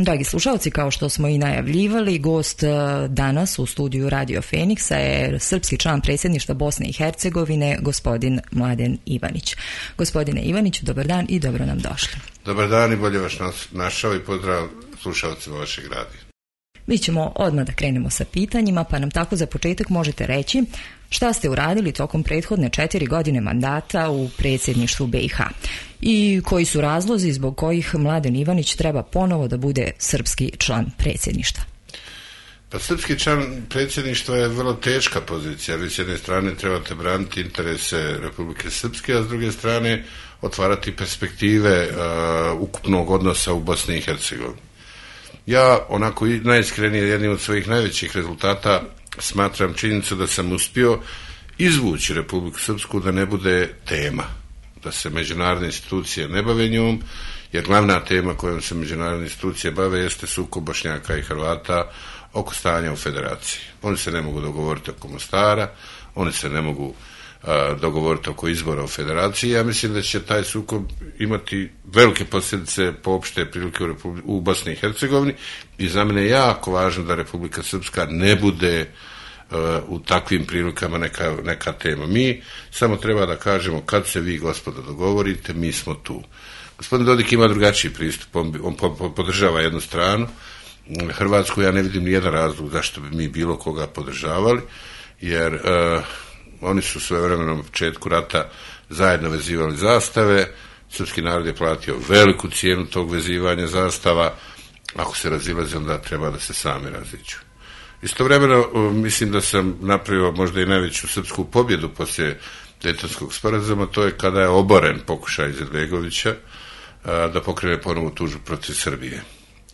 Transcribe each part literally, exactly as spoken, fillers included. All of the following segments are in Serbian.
Dragi slušalci, kao što smo i najavljivali, gost danas u studiju Radio Feniksa je srpski član predsjedništva Bosne i Hercegovine, gospodin Mladen Ivanić. Gospodine Ivaniću, dobar dan i dobro nam došli. Dobar dan i bolje vas našao i pozdrav slušalcima vašeg radija. Mi ćemo odmah da krenemo sa pitanjima, pa nam tako za početak možete reći šta ste uradili tokom prethodne četiri godine mandata u predsjedništvu B i H i koji su razlozi zbog kojih Mladen Ivanić treba ponovo da bude srpski član predsjedništva. Pa srpski član predsjedništva je vrlo teška pozicija. Vi s jedne strane trebate braniti interese Republike Srpske, a s druge strane otvarati perspektive uh, ukupnog odnosa u Bosni i Hercegovini. Ja onako najiskrenije jednim od svojih najvećih rezultata smatram činjenicu da sam uspio izvući Republiku Srpsku da ne bude tema, da se međunarodne institucije ne bave njom, jer glavna tema kojom se međunarodne institucije bave jeste sukob Bošnjaka i Hrvata oko stanja u federaciji. Oni se ne mogu dogovoriti oko Mostara, oni se ne mogu a, dogovoriti oko izbora u federaciji. Ja mislim da će taj sukob imati velike posljedice po opšte prilike u, Republi- u Bosni i Hercegovini i za mene je jako važno da Republika Srpska ne bude uh, u takvim prilikama neka, neka tema. Mi samo treba da kažemo kad se vi, gospodo, dogovorite, mi smo tu. Gospodin Dodik ima drugačiji pristup, on, on po, po, podržava jednu stranu, Hrvatsku ja ne vidim nijedan razlog zašto bi mi bilo koga podržavali, jer uh, oni su svojevremeno na početku rata zajedno vezivali zastave, srpski narod je platio veliku cijenu tog vezivanja zastava, ako se razilaze onda treba da se sami raziđu. Istovremeno mislim da sam napravio možda i najveću srpsku pobjedu poslije Dejtonskog sporazuma, to je kada je oboren pokušaj Izetbegovića da pokrene ponovu tužbu protiv Srbije.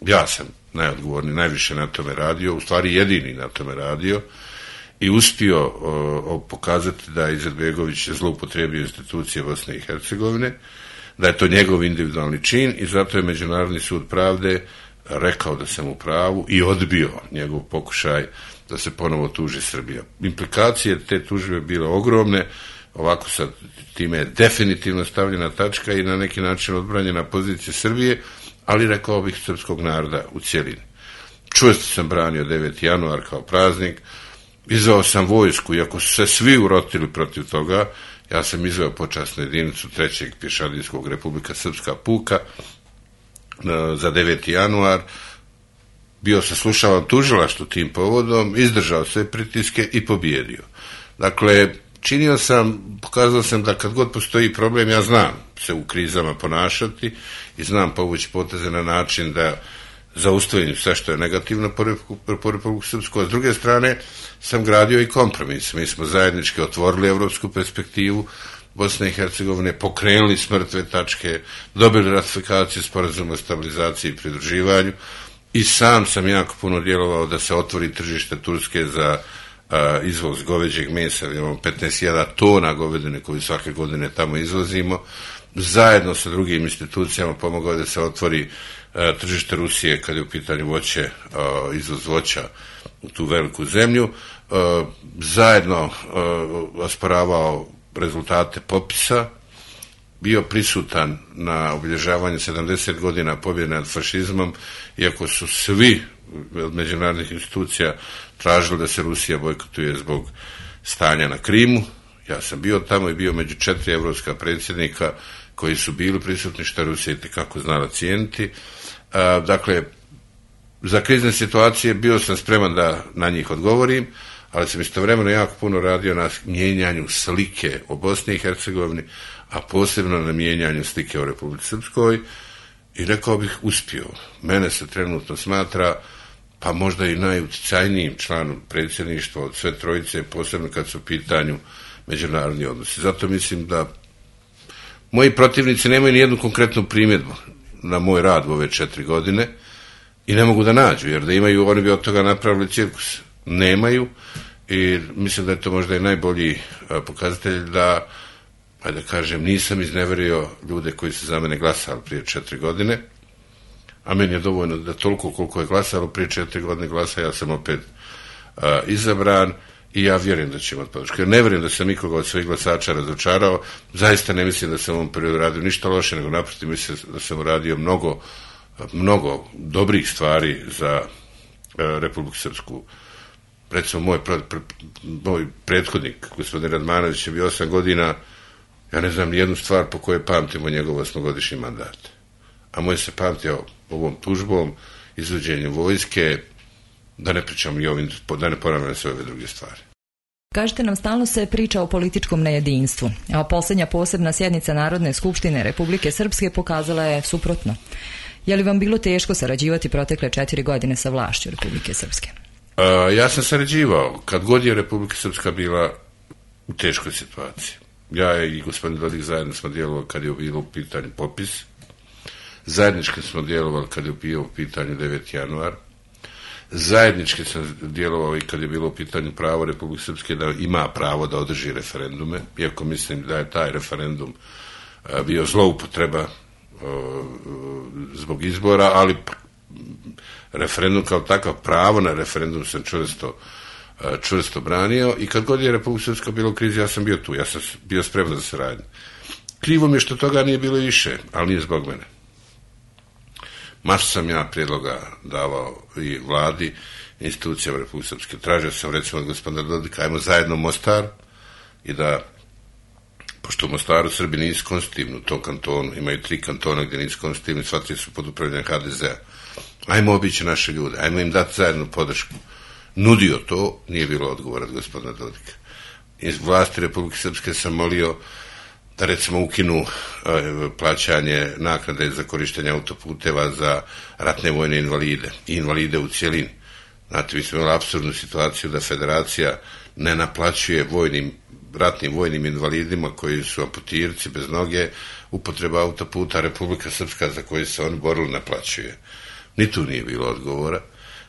Ja sam najodgovorniji, najviše na tome radio, u stvari jedini na tome radio, i uspio o, o, pokazati da je Izetbegović zloupotrijebio institucije Bosne i Hercegovine, da je to njegov individualni čin i zato je Međunarodni sud pravde rekao da sam u pravu i odbio njegov pokušaj da se ponovo tuži Srbija. Implikacije te tužbe bile ogromne, ovako sad time je definitivno stavljena tačka i na neki način odbranjena pozicija Srbije, ali rekao bih srpskog naroda u cjelini. Čvrsto sam branio deveti januar kao praznik, izveo sam vojsku, iako su se svi urotili protiv toga, ja sam izveo počasnu jedinicu trećeg pješadijskog Republika Srpska puka za deveti januar, bio se slušavan tužilaštvo tim povodom, izdržao sve pritiske i pobjedio. Dakle, činio sam, pokazao sam da kad god postoji problem, ja znam se u krizama ponašati i znam povući poteze na način da zaustavim sve što je negativno po Republiku Srpsku, a s druge strane sam gradio i kompromis. Mi smo zajednički otvorili evropsku perspektivu Bosne i Hercegovine, pokrenuli s mrtve tačke, dobili ratifikaciju sporazuma o stabilizaciji i pridruživanju i sam sam jako puno djelovao da se otvori tržište Turske za a, izvoz goveđeg mesa. Imamo petnaest hiljada tona govedine koju svake godine tamo izvozimo. Zajedno sa drugim institucijama pomogao da se otvori a, tržište Rusije kad je u pitanju voće, a, izvoz voća u tu veliku zemlju. A, zajedno a, osporavao rezultate popisa, bio prisutan na obilježavanju sedamdeset godina pobjede nad fašizmom, iako su svi od međunarodnih institucija tražili da se Rusija bojkotuje zbog stanja na Krimu. Ja sam bio tamo i bio među četiri evropska predsjednika koji su bili prisutni, što Rusija itekako znala cijeniti. A, dakle, za krizne situacije bio sam spreman da na njih odgovorim, ali sam istovremeno jako puno radio na mijenjanju slike o Bosni i Hercegovini, a posebno na mijenjanju slike o Republici Srpskoj i rekao bih uspio. Mene se trenutno smatra pa možda i najuticajnijim članom predsjedništva od sve trojice, posebno kad su u pitanju međunarodni odnosi. Zato mislim da moji protivnici nemaju ni jednu konkretnu primjedbu na moj rad u ove četiri godine i ne mogu da nađu, jer da imaju, oni bi od toga napravili cirkus. Nemaju i mislim da je to možda i najbolji pokazatelj da, ajde da kažem, nisam izneverio ljude koji su za mene glasali prije četiri godine, a meni je dovoljno da toliko koliko je glasalo prije četiri godine glasa, ja sam opet a, izabran i ja vjerujem da ću imati podršku. Ja ne vjerujem da sam nikoga od svojih glasača razočarao, zaista ne mislim da sam u ovom periodu radio ništa loše, nego naprotiv mislim da sam uradio mnogo mnogo dobrih stvari za Republiku Srpsku. Recimo, moj, pre, pre, moj prethodnik, gospodin Radmanović, je bio osam godina, ja ne znam nijednu stvar po kojoj pamtimo njegov osmogodišnji mandat. A moj se pamtio ovom tužbom, izvođenjem vojske, da ne pričam i ovim, da ne ponavljam sve ove druge stvari. Kažete nam, stalno se priča o političkom nejedinstvu, a posljednja posebna sjednica Narodne skupštine Republike Srpske pokazala je suprotno. Je li vam bilo teško sarađivati protekle četiri godine sa vlašću Republike Srpske? A, ja sam sarađivao kad god je Republika Srpska bila u teškoj situaciji. Ja i gospodin Dodik zajedno smo djelovali kad je bilo u pitanju popis, zajednički smo djelovali kad je bio u pitanju deveti januar, zajednički sam djelovao i kad je bilo u pitanju pravo Republike Srpske da ima pravo da održi referendume, iako mislim da je taj referendum a, bio zloupotreba a, zbog izbora, ali referendum kao takav, pravo na referendum sam čvrsto, a, čvrsto branio i kad god je Republika Srpska bila u krizi, ja sam bio tu, ja sam bio spreman za saradnju. Krivo mi je što toga nije bilo više, ali nije zbog mene. Masu sam ja prijedloga davao i vladi, institucijama Republike Srpske. Tražio sam recimo od gospodina Dodika, ajmo zajedno u Mostar i da, pošto u Mostaru Srbi nisu konstitutivni u tom kantonu, imaju tri kantona gdje nisu konstitutivni, sva tri su pod upravljanjem ha de zea. Ajmo obići naše ljude, ajmo im dati zajednu podršku. Nudio to, nije bilo odgovora od gospodina Dodika. Iz vlasti Republike Srpske sam molio da recimo ukinu uh, plaćanje naknade za korištenje autoputeva za ratne vojne invalide i invalide u cijelini. Znate, mi smo imali apsurdnu situaciju da federacija ne naplaćuje vojnim, ratnim vojnim invalidima koji su amputirci bez noge upotreba autoputa, Republika Srpska za koju se oni borili naplaćuje. Ni tu nije bilo odgovora.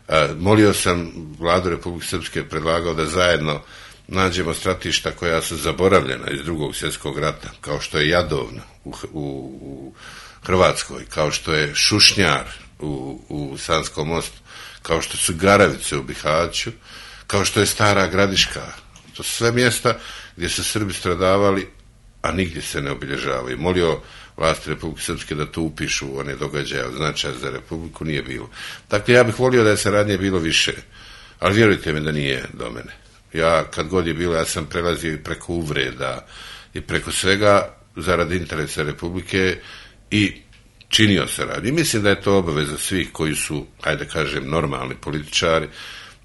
Uh, molio sam vladu Republike Srpske, predlagao da zajedno nađemo stratišta koja su zaboravljena iz drugog svjetskog rata, kao što je Jadovna u, u, u Hrvatskoj, kao što je Šušnjar u, u Sanskom mostu, kao što su Garavice u Bihaću, kao što je Stara Gradiška. To su sve mjesta gdje su Srbi stradavali, a nigdje se ne obilježavaju. Molio vlasti Republike Srpske da to upišu one događaje od značaja za Republiku, nije bilo. Dakle, ja bih volio da je saradnje bilo više, ali vjerujte mi da nije do mene. Ja, kad god je bilo, ja sam prelazio i preko uvreda i preko svega zarad interesa Republike i činio saradnju. I mislim da je to obaveza svih koji su, ajde kažem, normalni političari,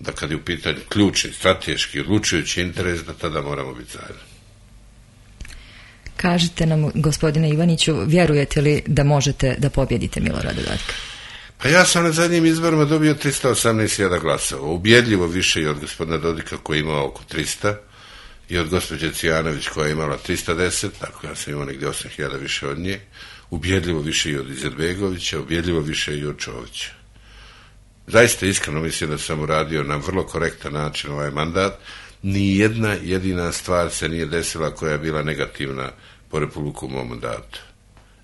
da kad je u pitanju ključni, strateški, odlučujući interes, da tada moramo biti zajedno. Kažite nam, gospodine Ivaniću, vjerujete li da možete da pobjedite Milorada Dodika? Pa ja sam na zadnjim izborima dobio trista osamnaest hiljada glasova, ubjedljivo više i od gospodina Dodika koji je imao oko trista i od gospođe Cijanović koja je imala trista deset, tako ja sam imao negdje osam hiljada više od nje, ubjedljivo više i od Izetbegovića, ubjedljivo više i od Čovića. Zaista iskreno mislim da sam uradio na vrlo korektan način ovaj mandat, ni jedna jedina stvar se nije desila koja je bila negativna po Republiku u mom mandatu.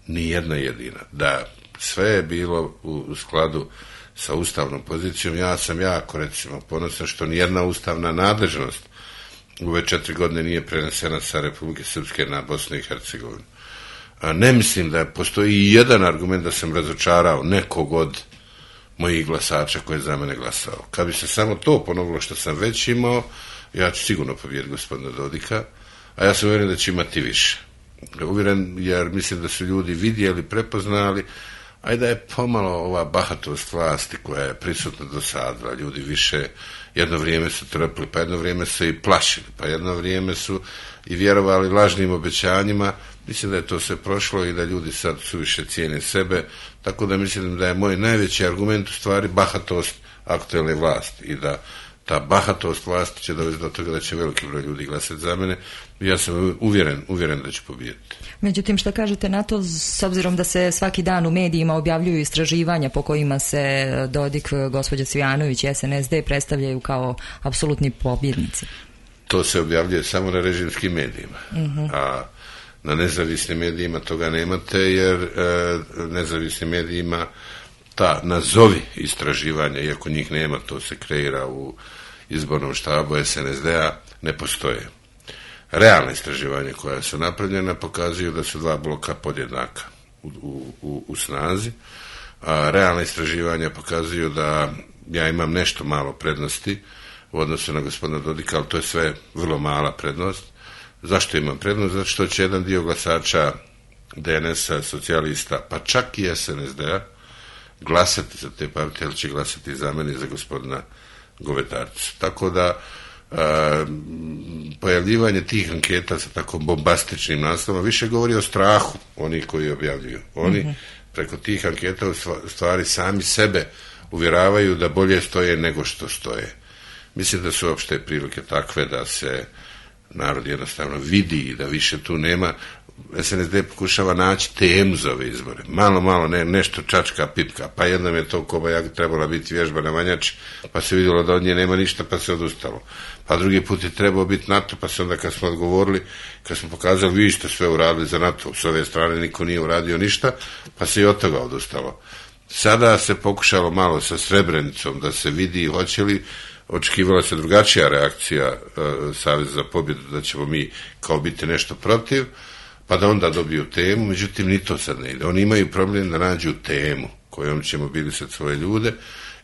Ni jedna jedina. Da, sve je bilo u skladu sa ustavnom pozicijom. Ja sam jako, recimo, ponosan što nijedna ustavna nadležnost u ove četiri godine nije prenesena sa Republike Srpske na Bosnu i Hercegovinu. A ne mislim da postoji i jedan argument da sam razočarao nekog od mojih glasača koji je za mene glasao. Kad bi se samo to ponovilo što sam već imao, ja ću sigurno pobijediti gospodina Dodika, a ja sam uvjeren da će imati više. Uvjeren jer mislim da su ljudi vidjeli, prepoznali, a i da je pomalo ova bahatost vlasti koja je prisutna do sada. Ljudi više jedno vrijeme su trpili, pa jedno vrijeme su i plašili, pa jedno vrijeme su i vjerovali lažnim obećanjima. Mislim da je to sve prošlo i da ljudi sad suviše cijene sebe, tako da mislim da je moj najveći argument u stvari bahatost aktuelne vlasti i da ta bahatost vlasti će dovesti do toga da će veliki broj ljudi glasati za mene i ja sam uvjeren, uvjeren da će pobijediti. Međutim, šta kažete na to, s obzirom da se svaki dan u medijima objavljuju istraživanja po kojima se Dodik, gospođa Cvijanović i es en es de predstavljaju kao apsolutni pobjednici? To se objavljuje samo na režimskim medijima, uh-huh. a na nezavisnim medijima toga nemate jer e, nezavisnim medijima ta nazovi istraživanja, iako njih nema, to se kreira u izbornom štabu es en es de-a, ne postoje. Realne istraživanja koja su napravljena pokazuju da su dva bloka podjednaka u, u, u snazi, a, realna istraživanja pokazuju da ja imam nešto malo prednosti u odnosu na gospodina Dodika, ali to je sve vrlo mala prednost. Zašto imam prednost? Zato što će jedan dio glasača D N S-a, socijalista, pa čak i S N S D-a, glasati za te partije, ali će glasati za mene i za gospodina Govetarca. Tako da a, pojavljivanje tih anketa sa tako bombastičnim naslovom više govori o strahu onih koji objavljuju. Oni mm-hmm. preko tih anketa u stvari sami sebe uvjeravaju da bolje stoje nego što stoje. Mislim da su opšte prilike takve da se narod jednostavno vidi i da više tu nema. S N S D pokušava naći temu za ove izbore. Malo, malo, ne, nešto čačka, pipka. Pa jednom je to Kobajag trebala biti vježba na Manjač, pa se vidjelo da od nje nema ništa, pa se odustalo. Pa drugi put je trebao biti NATO, pa se onda kad smo odgovorili, kad smo pokazali vi ste sve uradili za NATO, s ove strane niko nije uradio ništa, pa se i od toga odustalo. Sada se pokušalo malo sa Srebrenicom da se vidi hoće li, očekivala se drugačija reakcija uh, Saveza za pobjedu, da ćemo mi kao biti nešto protiv, pa da onda dobiju temu, međutim ni to sad ne ide. Oni imaju problem da nađu temu kojom će mobilisati svoje ljude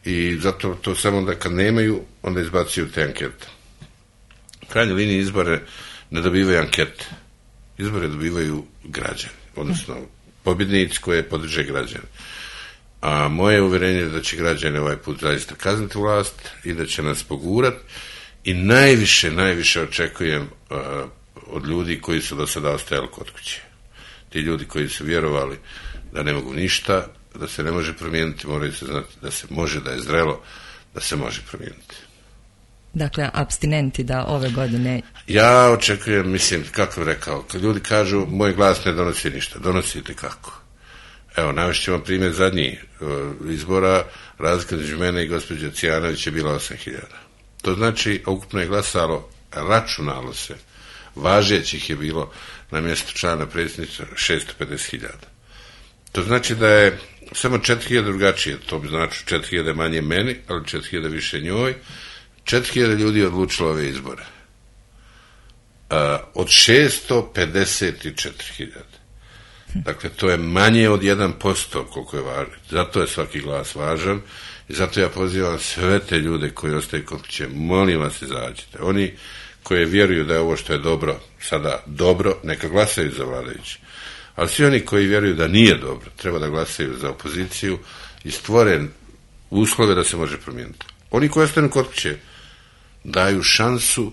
i zato to samo da kad nemaju, onda izbacuju te ankete. U krajnjoj liniji izbore ne dobivaju ankete. Izbore dobivaju građani, odnosno pobjednici koje podrže građani. A moje uvjerenje je da će građani ovaj put zaista kazniti vlast i da će nas pogurati i najviše, najviše očekujem uh, od ljudi koji su do sada ostajali kod kuće. Ti ljudi koji su vjerovali da ne mogu ništa, da se ne može promijeniti, moraju se znati da se može, da je zrelo, da se može promijeniti. Dakle, apstinenti da ove godine... Ja očekujem, mislim, kako bih rekao, kad ljudi kažu moj glas ne donosi ništa, donosite kako? Evo, navešćemo primjer zadnjih izbora, razlika između mene i gospođe Cijanović je bila osam hiljada. To znači, ukupno je glasalo, računalo se, važećih je bilo na mjestu člana predsjedništva šesto pedeset hiljada. To znači da je samo četiri hiljade drugačije, to bi znači četiri hiljade manje meni, ali četiri hiljade više njoj, četiri hiljade ljudi odlučilo ove izbore. Uh, od šesto pedeset četiri hiljade. Dakle, to je manje od jedan posto koliko je važno. Zato je svaki glas važan i zato ja pozivam sve te ljude koji ostaju kod kuće, molim vas izađite. Oni koji vjeruju da je ovo što je dobro sada dobro, neka glasaju za vladajući. Ali svi oni koji vjeruju da nije dobro, treba da glasaju za opoziciju i stvoren uslove da se može promijeniti. Oni koji ostanu kod kuće daju šansu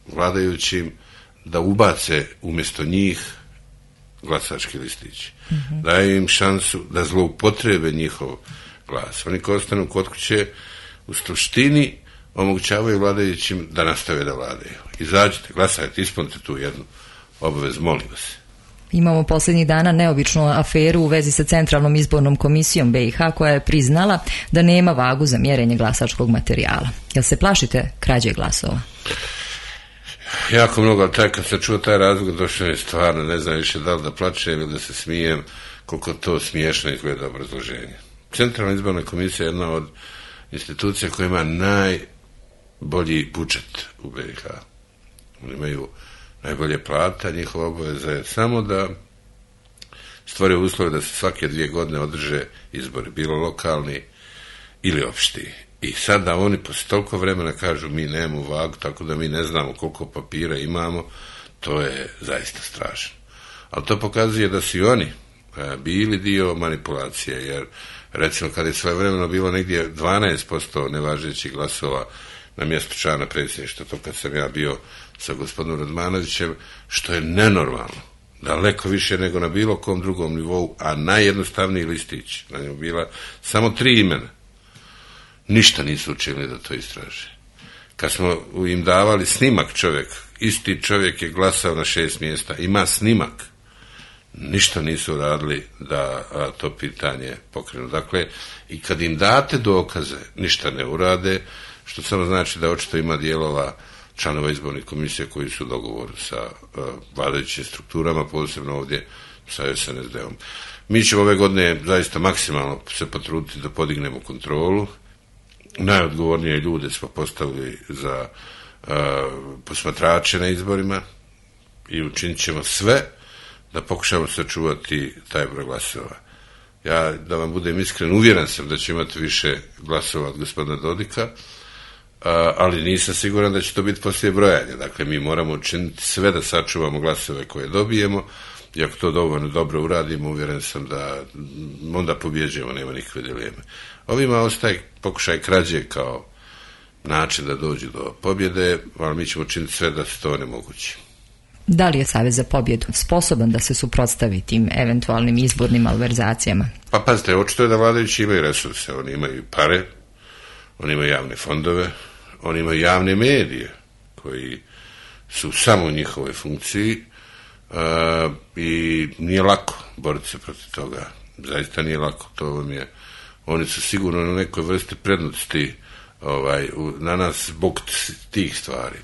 vladajućim da ubace umjesto njih glasački listići. Mm-hmm. Daju im šansu da zloupotrebe njihov glas. Oni koji ostanu kod kuće u suštini omogućavaju vladajućim da nastave da vladaju. Izađite, glasajte, ispunite tu jednu obavezu, molim vas. Imamo posljednjih dana neobičnu aferu u vezi sa Centralnom izbornom komisijom B i H koja je priznala da nema vagu za mjerenje glasačkog materijala. Jel se plašite krađe glasova? Jako mnogo, ali taj, kad sam čuo taj razlog, došao je stvarno, ne znam više da li da plačem ili da se smijem, koliko to smiješno izgleda obrazloženje. Centralna izborna komisija je jedna od institucija koja ima najbolji budžet u B i H. Oni imaju najbolje plata, njihova obaveza je samo da stvore uslove da se svake dvije godine održe izbori, bilo lokalni ili opšti. I sad da oni posle toliko vremena kažu mi nemamo vagu, tako da mi ne znamo koliko papira imamo, to je zaista strašno. Ali to pokazuje da su i oni e, bili dio manipulacije, jer recimo kad je svojevremeno bilo negdje dvanaest posto nevažećih glasova na mjestu člana predsjedništva, to kad sam ja bio sa gospodinom Radmanovićem, što je nenormalno, daleko više nego na bilo kom drugom nivou, a najjednostavniji listić, na njemu bila samo tri imena. Ništa nisu učinili da to istraže. Kad smo im davali snimak čovjek, isti čovjek je glasao na šest mjesta, ima snimak, ništa nisu radili da a, to pitanje pokrenu. Dakle, i kad im date dokaze, ništa ne urade, što samo znači da očito ima dijelova članova izbornih komisije koji su u dogovoru sa uh, vladajućim strukturama, posebno ovdje sa S N S D-om. Mi ćemo ove godine zaista maksimalno se potruditi da podignemo kontrolu. Najodgovornije ljude smo postavili za uh, posmatrače na izborima i učinit ćemo sve da pokušamo sačuvati taj broj glasova. Ja, da vam budem iskren, uvjeren sam da će imati više glasova od gospodina Dodika, ali nisam siguran da će to biti poslije brojanja. Dakle, mi moramo učiniti sve da sačuvamo glasove koje dobijemo, i ako to dovoljno dobro uradimo, uvjeren sam da onda pobjeđujemo, nema nikakve dileme. Ovima ostaje pokušaj krađe kao način da dođu do pobjede, ali mi ćemo učiniti sve da se to onemogući. Da li je Savez za pobjedu sposoban da se suprotstavi tim eventualnim izbornim malverzacijama? Pa pazite, očito je da vladajući imaju resurse, oni imaju pare, oni imaju javne fondove, oni imaju javne medije koji su samo u njihovoj funkciji, uh, i nije lako boriti se protiv toga. Zaista nije lako. To vam je, oni su sigurno na nekoj vrsti prednosti ovaj, na nas zbog tih stvari.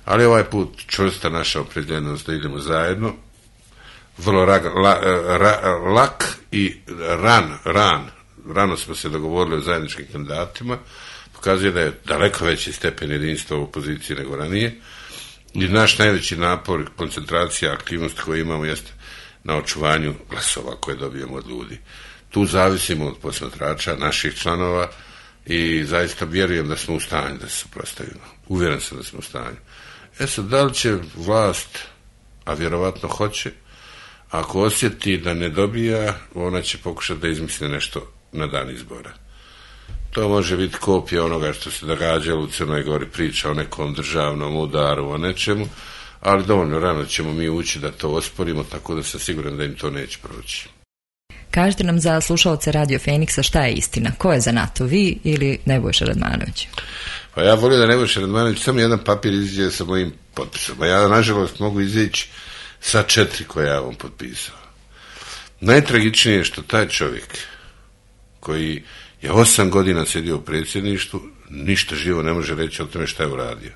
Ali ovaj put čvrsta naša opredjeljenost da idemo zajedno, vrlo rag, la, ra, lak i ran, ran, rano smo se dogovorili o zajedničkim kandidatima, pokazuje da je daleko veći stepen jedinstva u opoziciji nego ranije, i naš najveći napor, koncentracija, aktivnost koju imamo jeste na očuvanju glasova koje dobijemo od ljudi. Tu zavisimo od posmatrača, naših članova, i zaista vjerujem da smo u stanju da se suprotstavimo. Uvjeren sam da smo u stanju. E sad, da li će vlast, a vjerovatno hoće, ako osjeti da ne dobija, ona će pokušati da izmisli nešto na dan izbora. To može biti kopija onoga što se događalo u Crnoj Gori, priča o nekom državnom udaru, o nečemu, ali dovoljno rano ćemo mi ući da to osporimo, tako da sam siguran da im to neće proći. Kažite nam za slušalce Radio Feniksa šta je istina. Ko je za NATO, vi ili Nebojša Radmanović? Pa ja volim da Nebojša Radmanović samo jedan papir iziđe sa mojim potpisom. A ja, nažalost, mogu izići sa četiri koje ja vam potpisao. Najtragičnije je što taj čovjek koji je osam godina sjedio u predsjedništvu, ništa živo ne može reći o tome šta je uradio.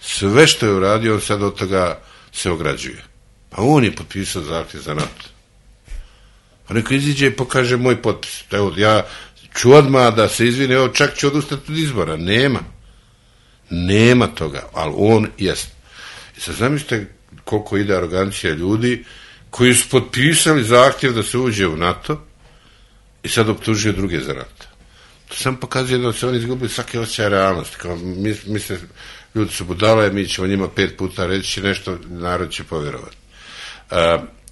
Sve što je uradio, on sad od toga se ograđuje. Pa on je potpisao zahtjev za NATO. Pa neko iziđe i pokaže moj potpis. Evo, ja ću odmah da se izvine, evo, čak ću odustati od izbora. Nema. Nema toga, ali on jest. I sad zamislite koliko ide arogancija ljudi koji su potpisali zahtjev da se uđe u NATO i sad optužuju druge za NATO. To sam pokazuje da se oni izgubili svake osjećaje realnosti. Kao mi, mi se, ljudi su budale, mi ćemo njima pet puta reći nešto, narod će povjerovati. Uh,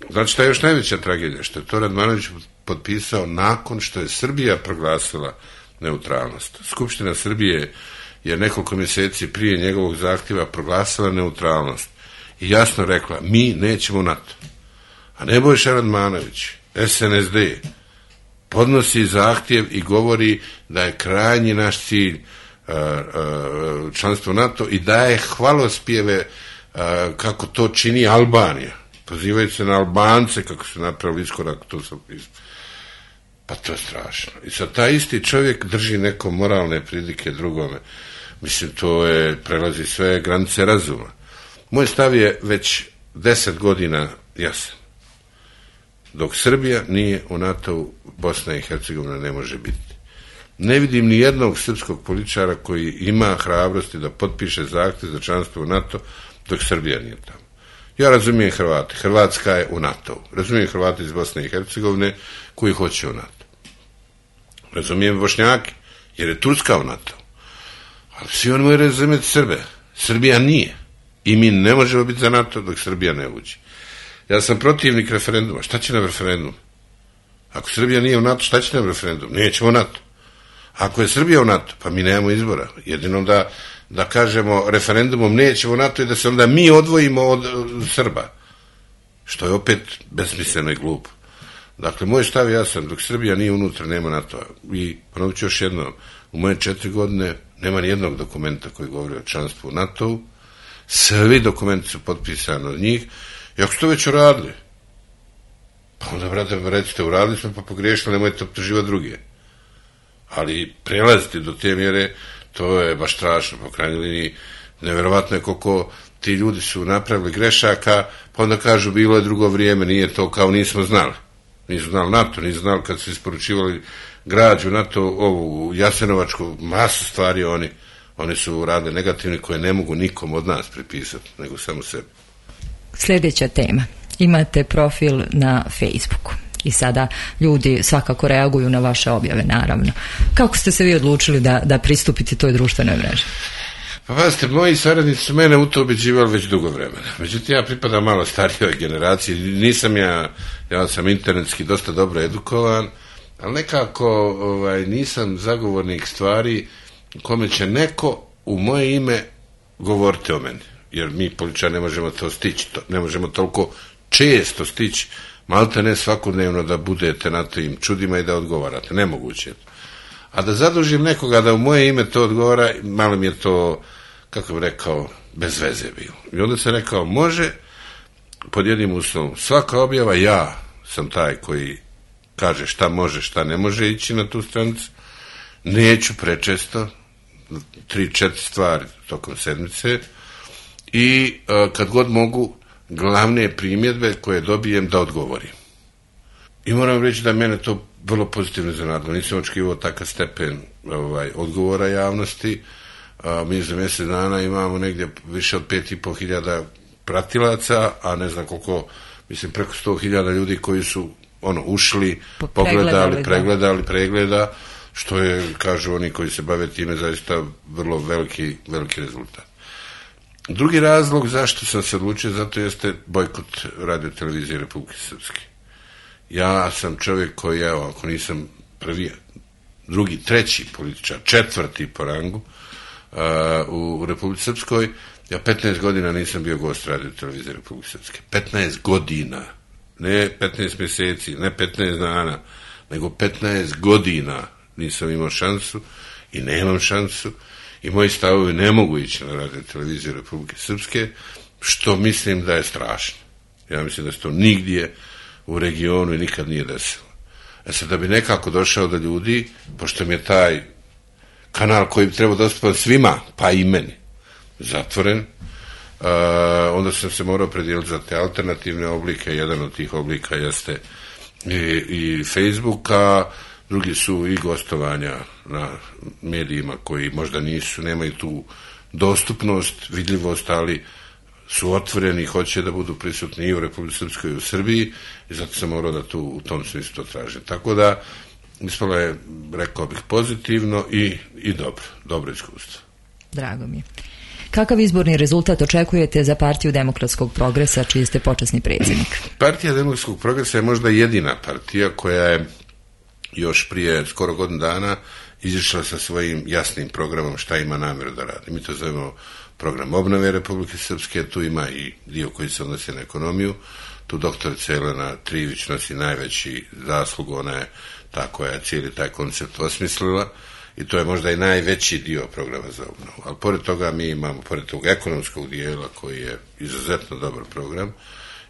Znači, šta je još najveća tragedija? Što je to Radmanović potpisao nakon što je Srbija proglasila neutralnost. Skupština Srbije je nekoliko mjeseci prije njegovog zahtjeva proglasila neutralnost i jasno rekla, mi nećemo NATO. A Nebojša Radmanović, S N S D, podnosi zahtjev i govori da je krajnji naš cilj uh, uh, članstvo NATO i daje hvalospjeve uh, kako to čini Albanija. Pozivaju se na Albance kako su napravili iskorak, to sam pisao. Pa to je strašno. I sad taj isti čovjek drži neko moralne pridike drugome. Mislim, to je, prelazi sve granice razuma. Moj stav je već deset godina jasan. Dok Srbija nije u NATO-u, Bosna i Hercegovina ne može biti. Ne vidim ni jednog srpskog političara koji ima hrabrosti da potpiše zahtjev za članstvo u NATO dok Srbija nije tamo. Ja razumijem Hrvate. Hrvatska je u NATO-u. Razumijem Hrvate iz Bosne i Hercegovine koji hoće u NATO. Razumijem Bošnjake, jer je Turska u NATO-u. Ali svi oni moraju razumjeti Srbe. Srbija nije. I mi ne možemo biti za NATO dok Srbija ne uđe. Ja sam protivnik referenduma. Šta će nam referendum? Ako Srbija nije u NATO, šta će nam referendum? Nećemo u NATO. Ako je Srbija u NATO, pa mi nemamo izbora. Jedino da da kažemo referendumom nećemo NATO i da se onda mi odvojimo od, od Srba. Što je opet besmisleno i glupo. Dakle, moj stav je jasan, dok Srbija nije unutra, nema NATO-a. I ponovit ću još jedno, u moje četiri godine nema ni jednog dokumenta koji govori o članstvu u NATO-u. Svi dokumenti su potpisani od njih. I ako ste već uradili, pa onda, brate, recite, uradili smo pa pogriješili, nemojte optuživati druge. Ali prelaziti do te mjere, to je baš strašno, po krajnjoj liniji, nevjerovatno je koliko ti ljudi su napravili grešaka, pa onda kažu bilo je drugo vrijeme, nije to kao nismo znali. Nisu znali NATO, nisu znali kad su isporučivali građu NATO, ovu Jasenovačku, masu stvari oni, oni su radili negativni koje ne mogu nikom od nas pripisati, nego samo sebi. Sljedeća tema. Imate profil na Facebooku. i sada ljudi svakako reaguju na vaše objave, naravno. Kako ste se vi odlučili da, da pristupite toj društvenoj mreži? Pa pazite, moji saradnici su mene u to ubeđivali već dugo vremena. Međutim, ja pripadam malo starijoj generaciji, nisam ja, ja sam internetski dosta dobro edukovan, ali nekako ovaj, nisam zagovornik stvari kome će neko u moje ime govoriti o meni. Jer mi političari ne možemo to stići, to, ne možemo toliko često stići, malte ne svakodnevno da budete na tim čudima i da odgovarate, nemoguće je to. A da zadužim nekoga da u moje ime to odgovara, malo mi je to, kako bih rekao, bez veze bilo. I onda sam rekao, može, pod jednim uslovom, svaka objava, ja sam taj koji kaže šta može, šta ne može ići na tu stranicu, neću prečesto, tri, četiri stvari tokom sedmice, i uh, kad god mogu, glavne primjedbe koje dobijem da odgovorim. I moram reći da mene to vrlo pozitivno iznenadilo. Nisam očekivao takav stepen ovaj, odgovora javnosti. A, mi za mjesec dana imamo negdje više od pet i pol hiljada pratilaca, a ne znam koliko, mislim preko sto hiljada ljudi koji su ono ušli, pogledali, pregledali, pregleda, što je, kažu oni koji se bave time, zaista vrlo veliki, veliki rezultat. Drugi razlog zašto sam se odlučio, zato jeste bojkot radio televizije Republike Srpske. Ja sam čovjek koji, evo, ako nisam prvi, drugi, treći političar, četvrti po rangu uh, u Republici Srpskoj, ja petnaest godina nisam bio gost radio televizije Republike Srpske. petnaest godina, ne petnaest mjeseci, ne petnaest dana, nego petnaest godina nisam imao šansu i nemam šansu i moji stavovi ne mogu ići na radio televiziju Republike Srpske, što mislim da je strašno. Ja mislim da se to nigdje u regionu i nikad nije desilo. E sad, da bi nekako došao do ljudi, pošto mi je taj kanal koji bi trebao dostupati svima, pa i meni, zatvoren, uh, onda sam se morao predijeliti za te alternativne oblike. Jedan od tih oblika jeste i, i Facebooka, drugi su i gostovanja na medijima koji možda nisu, nemaju tu dostupnost, vidljivost, ali su otvoreni i hoće da budu prisutni i u Republici Srpskoj i u Srbiji, i zato sam morao da tu u tom smislu to tražim. Tako da, ispalo je, rekao bih, pozitivno i, i dobro, dobro iskustvo. Drago mi je. Kakav izborni rezultat očekujete za Partiju demokratskog progresa, čiji ste počasni predsjednik? Partija demokratskog progresa je možda jedina partija koja je još prije skoro godinu dana izišla sa svojim jasnim programom šta ima namjeru da radi. Mi to zovemo program obnove Republike Srpske, tu ima i dio koji se odnosi na ekonomiju, tu doktorica Jelena Trivić nosi najveći zaslug, ona je ta koja je cijeli taj koncept osmislila i to je možda i najveći dio programa za obnovu. Ali pored toga mi imamo, pored tog ekonomskog dijela koji je izuzetno dobar program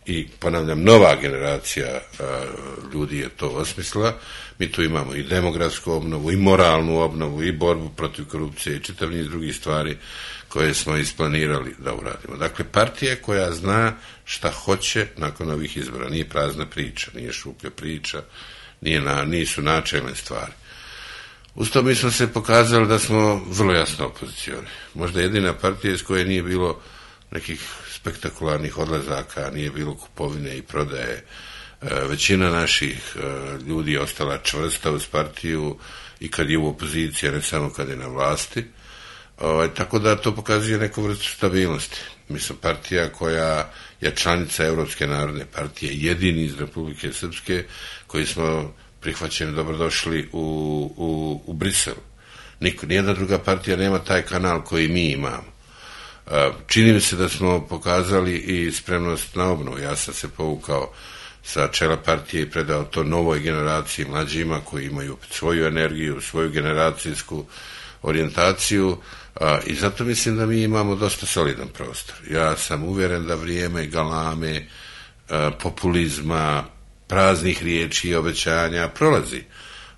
i, ponavljam, nova generacija a, ljudi je to osmislila, mi tu imamo i demografsku obnovu, i moralnu obnovu, i borbu protiv korupcije, i čitav niz drugih stvari koje smo isplanirali da uradimo. Dakle, partija koja zna šta hoće nakon ovih izbora, nije prazna priča, nije šuplja priča, nije na, nisu načelne stvari. Uz to mi smo se pokazali da smo vrlo jasno opozicioni. Možda jedina partija iz koje nije bilo nekih spektakularnih odlazaka, nije bilo kupovine i prodaje. Većina naših ljudi je ostala čvrsta uz partiju i kad je u opoziciji, ne samo kad je na vlasti. O, tako da to pokazuje neku vrstu stabilnosti. Mi smo partija koja je članica Europske narodne partije, jedini iz Republike Srpske koji smo prihvaćeni, dobrodošli u, u, u Briselu. Niko, nijedna druga partija nema taj kanal koji mi imamo. Čini mi se da smo pokazali i spremnost na obnovu. Ja sam se povukao sa čela partije i predao to novoj generaciji, mlađima koji imaju svoju energiju, svoju generacijsku orijentaciju, a, i zato mislim da mi imamo dosta solidan prostor. Ja sam uvjeren da vrijeme galame, a, populizma, praznih riječi i obećanja prolazi,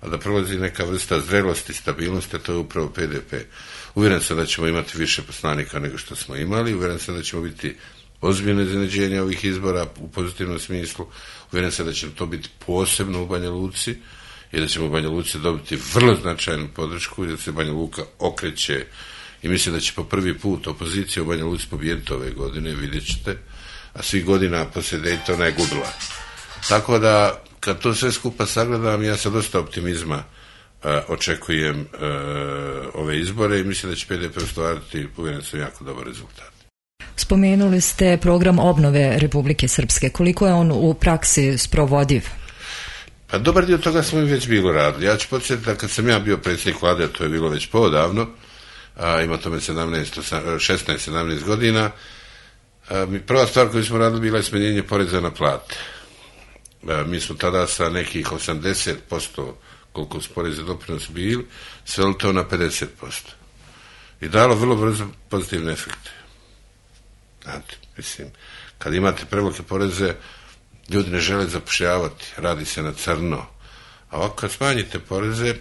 a da prolazi neka vrsta zrelosti, stabilnosti, to je upravo P D P. Uvjeren sam da ćemo imati više poslanika nego što smo imali, uvjeren sam da ćemo biti ozbiljno iznenađenje ovih izbora u pozitivnom smislu, uvjeren sam da će to biti posebno u Banja Luci i da ćemo u Banja Luci dobiti vrlo značajnu podršku i da se Banja Luka okreće i mislim da će po prvi put opozicija u Banja Luci pobijediti ove godine, vidjet ćete, a svih godina poslije Daytona je gubila. Tako da kad to sve skupa sagledam, ja sa dosta optimizma uh, očekujem uh, ove izbore i mislim da će P D P ostvariti, uvjeren sam, jako dobar rezultat. Spomenuli ste program obnove Republike Srpske. Koliko je on u praksi sprovodiv? Pa dobar dio toga smo i već bilo radili. Ja ću podsjetiti da kad sam ja bio predsjednik vlade, a to je bilo već poodavno, a ima tome šesnaest sedamnaest godina, a, mi prva stvar koju smo radili bila je smanjenje poreza na plate. A, mi smo tada sa nekih osamdeset posto koliko su porezi doprinosi bili, sveli to na pedeset posto. I dalo vrlo brzo pozitivne efekte. Znate, mislim, kad imate prevelike poreze, ljudi ne žele zapošljavati, radi se na crno. A ovako kad smanjite poreze,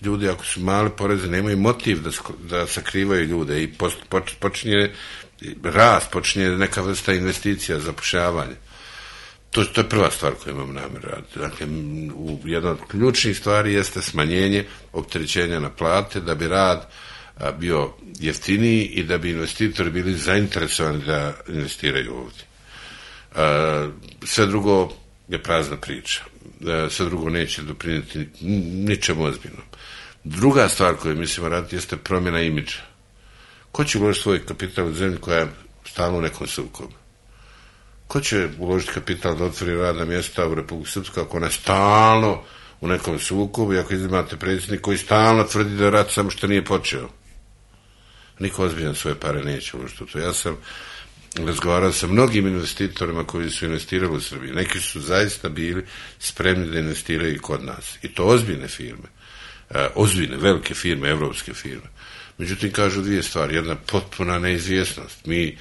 ljudi ako su male poreze nemaju motiv da, da sakrivaju ljude i post, poč, počinje rast, počinje neka vrsta investicija, zapošljavanja. To, to je prva stvar koju imam namjeru raditi. Dakle, u, jedna od ključnih stvari jeste smanjenje opterećenja na plate, da bi rad a, bio jeftiniji i da bi investitori bili zainteresovani da investiraju ovdje. A, sve drugo je prazna priča. A, sve drugo neće doprinijeti ničemu ozbiljnom. Druga stvar koju mislimo raditi jeste promjena imidža. Ko će uložiti svoj kapital u zemlju koja je stalno u nekom sukobu? Ko će uložiti kapital da otvori radna mjesta u Republiku Srpsku ako ona je stalno u nekom sukobu i ako imate predsjednik koji stalno tvrdi da je rat samo što nije počeo? Niko ozbiljan svoje pare neće uložiti u to. Ja sam razgovarao sa mnogim investitorima koji su investirali u Srbiji. Neki su zaista bili spremni da investiraju i kod nas. I to ozbiljne firme. E, ozbiljne, velike firme, evropske firme. Međutim, kažu dvije stvari. Jedna potpuna neizvjesnost. Mi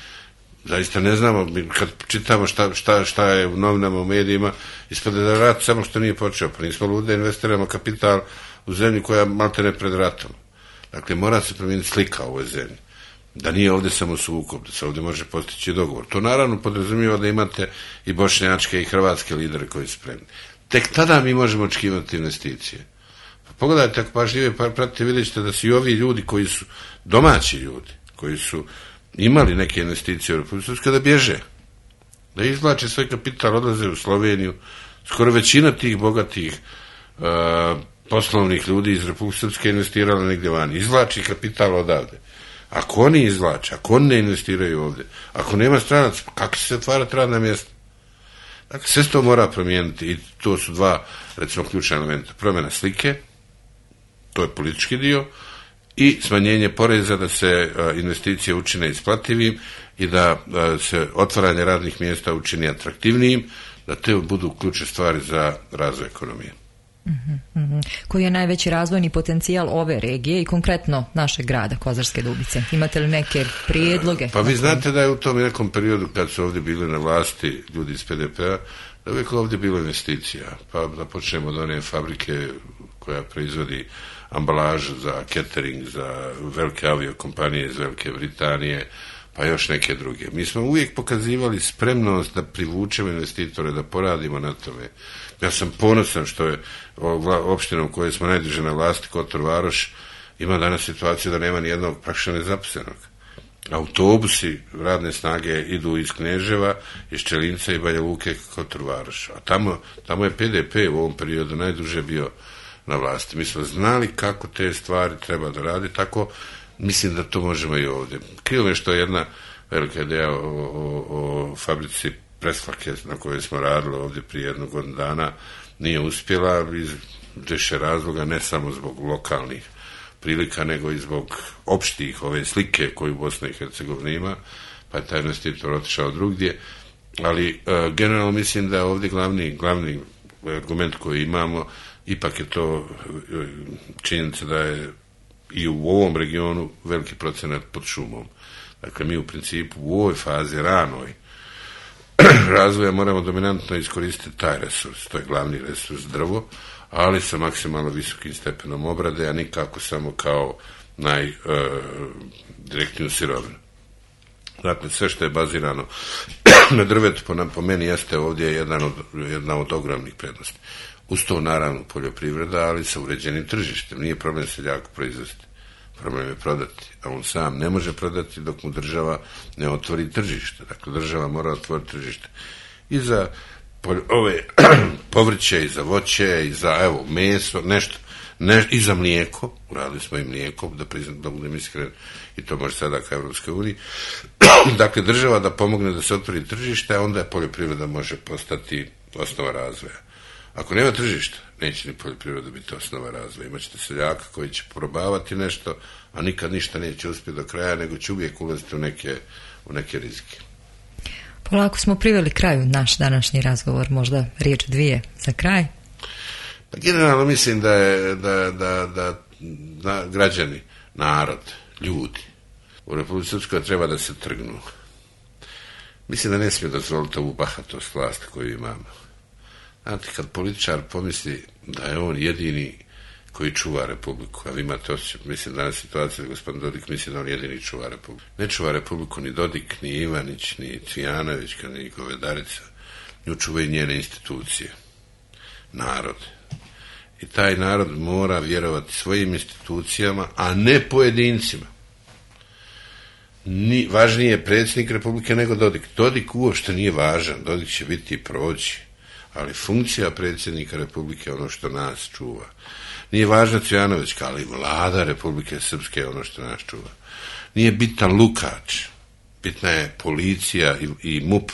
zaista ne znamo, mi kad čitamo šta, šta, šta je u novinama, u medijima, ispada da rat samo što nije počeo. Pa nismo ludi da investiramo kapital u zemlju koja malte ne pred ratom. Dakle, mora se promijeniti slika u ovoj zemlji. Da nije ovdje samo sukob, da se ovdje može postići dogovor. To naravno podrazumijeva da imate i bošnjačke i hrvatske lidere koji su spremni. Tek tada mi možemo očekivati investicije. Pa pogledajte, ako pažljive pa pratite, vidjet ćete da su i ovi ljudi koji su domaći ljudi, koji su imali neke investicije u Republiku Srpsku, da bježe. Da izvlače svoj kapital, odlaze u Sloveniju. Skoro većina tih bogatih uh, poslovnih ljudi iz Republike Srpske investirala negdje vani. Izvlači kapital odavde. Ako oni izvlače, ako oni ne investiraju ovdje, ako nema stranaca, kako se otvarati radna mjesta? Dakle, sve to mora promijeniti i to su dva, recimo, ključna elementa. Promjena slike, to je politički dio, i smanjenje poreza da se a, investicije učine isplativim i da a, se otvaranje radnih mjesta učini atraktivnijim, da te budu ključne stvari za razvoj ekonomije. Mm-hmm, mm-hmm. Koji je najveći razvojni potencijal ove regije i konkretno našeg grada Kozarske Dubice? Imate li neke prijedloge? Pa vi znate da je u tom nekom periodu kad su ovdje bili na vlasti ljudi iz P D P-a, da uvijek ovdje bilo investicija. Pa da počnemo od one fabrike koja proizvodi ambalažu za catering, za velike aviokompanije iz Velike Britanije, pa još neke druge. Mi smo uvijek pokazivali spremnost da privučemo investitore, da poradimo na tome. Ja sam ponosan što je opština u kojoj smo najduže na vlasti, Kotor Varoš, ima danas situaciju da nema ni jednog praktično nezaposlenog. Autobusi radne snage idu iz Kneževa, iz Čelinca i Banja Luke Kotor Varoš. A tamo, tamo je P D P u ovom periodu najduže bio na vlasti. Mi smo znali kako te stvari treba da radi, tako mislim da to možemo i ovdje. Krivo mi je što je jedna velika ideja o, o, o fabrici presvake na kojoj smo radili ovdje prije jednog godinu dana nije uspjela iz više razloga, ne samo zbog lokalnih prilika, nego i zbog opštih ove slike koju Bosna i Hercegovina ima, pa je taj investitor otišao drugdje, ali uh, generalno mislim da ovdje glavni, glavni argument koji imamo, ipak je to činjenica da je i u ovom regionu veliki procenat pod šumom. Dakle, mi u principu u ovoj fazi ranoj razvoja moramo dominantno iskoristiti taj resurs, to je glavni resurs, drvo, ali sa maksimalno visokim stepenom obrade, a nikako samo kao najdirektniju uh, sirovinu. Dakle, sve što je bazirano na drvetu po, po meni jeste ovdje jedan od, jedna od ogromnih prednosti. Uz to naravno poljoprivreda, ali sa uređenim tržištem. Nije problem seljaku proizvesti, problem je prodati, a on sam ne može prodati dok mu država ne otvori tržište. Dakle, država mora otvoriti tržište i za ove povrće i za voće i za evo meso, nešto, ne, i za mlijeko, uradili smo i mlijeko, da priznam, da budem iskren, i to može sada ka Evropskoj uniji. Dakle, država da pomogne da se otvori tržište, a onda poljoprivreda može postati osnova razvoja. Ako nema tržišta, neće ni poljoprivreda biti osnova razvoja. Imaćete seljaka koji će probavati nešto, a nikad ništa neće uspjeti do kraja, nego će uvijek ulaziti u neke, u neke rizike. Polako smo priveli kraju naš današnji razgovor, možda riječ dvije za kraj. Pa generalno mislim da je da, da, da, da građani, narod, ljudi u Republici Srpskoj treba da se trgnu. Mislim da ne smije dozvoliti ovu bahatost vlasti koju imamo. Znate, kad političar pomisli da je on jedini koji čuva Republiku, a vi imate osjećaj, mislim danas situacija da gospodin Dodik misli da on jedini čuva Republiku. Ne čuva Republiku ni Dodik, ni Ivanić, ni Cvijanović, ni Govedarica, nju čuvaju njene institucije, narod. I taj narod mora vjerovati svojim institucijama, a ne pojedincima. Ni, važniji je predsjednik Republike nego Dodik. Dodik uopšte nije važan, Dodik će biti i proći, ali funkcija predsjednika Republike je ono što nas čuva. Nije važna Cvijanovićka, ali vlada Republike Srpske je ono što nas čuva. Nije bitan Lukač, bitna je policija i, i MUP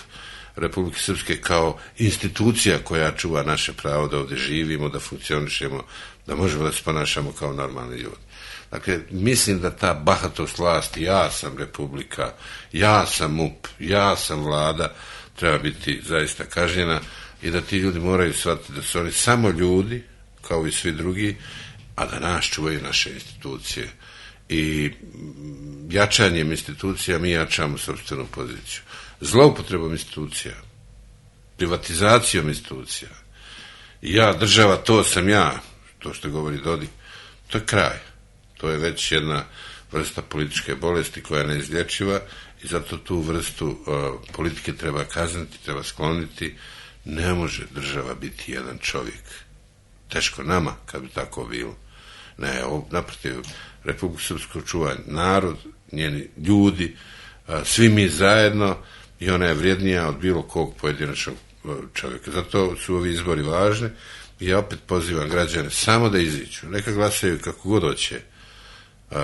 Republike Srpske kao institucija koja čuva naše pravo da ovdje živimo, da funkcionišemo, da možemo da se ponašamo kao normalni ljudi. Dakle, mislim da ta bahatost vlasti, ja sam Republika, ja sam MUP, ja sam vlada, treba biti zaista kažnjena i da ti ljudi moraju shvatiti da su oni samo ljudi, kao i svi drugi, a da nas čuvaju naše institucije. I jačanjem institucija mi jačamo sopstvenu poziciju. Zloupotrebom institucija, privatizacijom institucija, ja, država, to sam ja, to što govori Dodik, to je kraj. To je već jedna vrsta političke bolesti koja je neizlječiva i zato tu vrstu uh, politike treba kazniti, treba skloniti. Ne može država biti jedan čovjek. Teško nama kad bi tako bilo. Ne, naprotiv, Republiku Srpsku čuva narod, njeni ljudi, uh, svi mi zajedno i ona je vrijednija od bilo kog pojedinačnog uh, čovjeka. Zato su ovi izbori važni i ja opet pozivam građane samo da iziđu. Neka glasaju kako god hoće. Uh,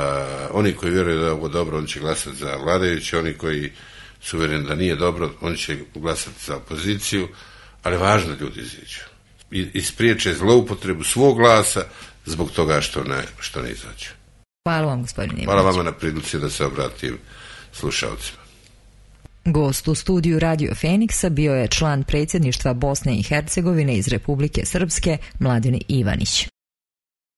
oni koji vjeruju da je ovo dobro, oni će glasati za vladajuće, oni koji su uvjereni da nije dobro, oni će glasati za opoziciju, ali važno ljudi iziđu i ispriječe zloupotrebu svog glasa zbog toga što ne, što ne izađu. Hvala vam, gospodine Ivanić. Hvala vama na prilici da se obratim slušalcima. Gost u studiju Radio Feniksa bio je član predsjedništva Bosne i Hercegovine iz Republike Srpske, Mladen Ivanić.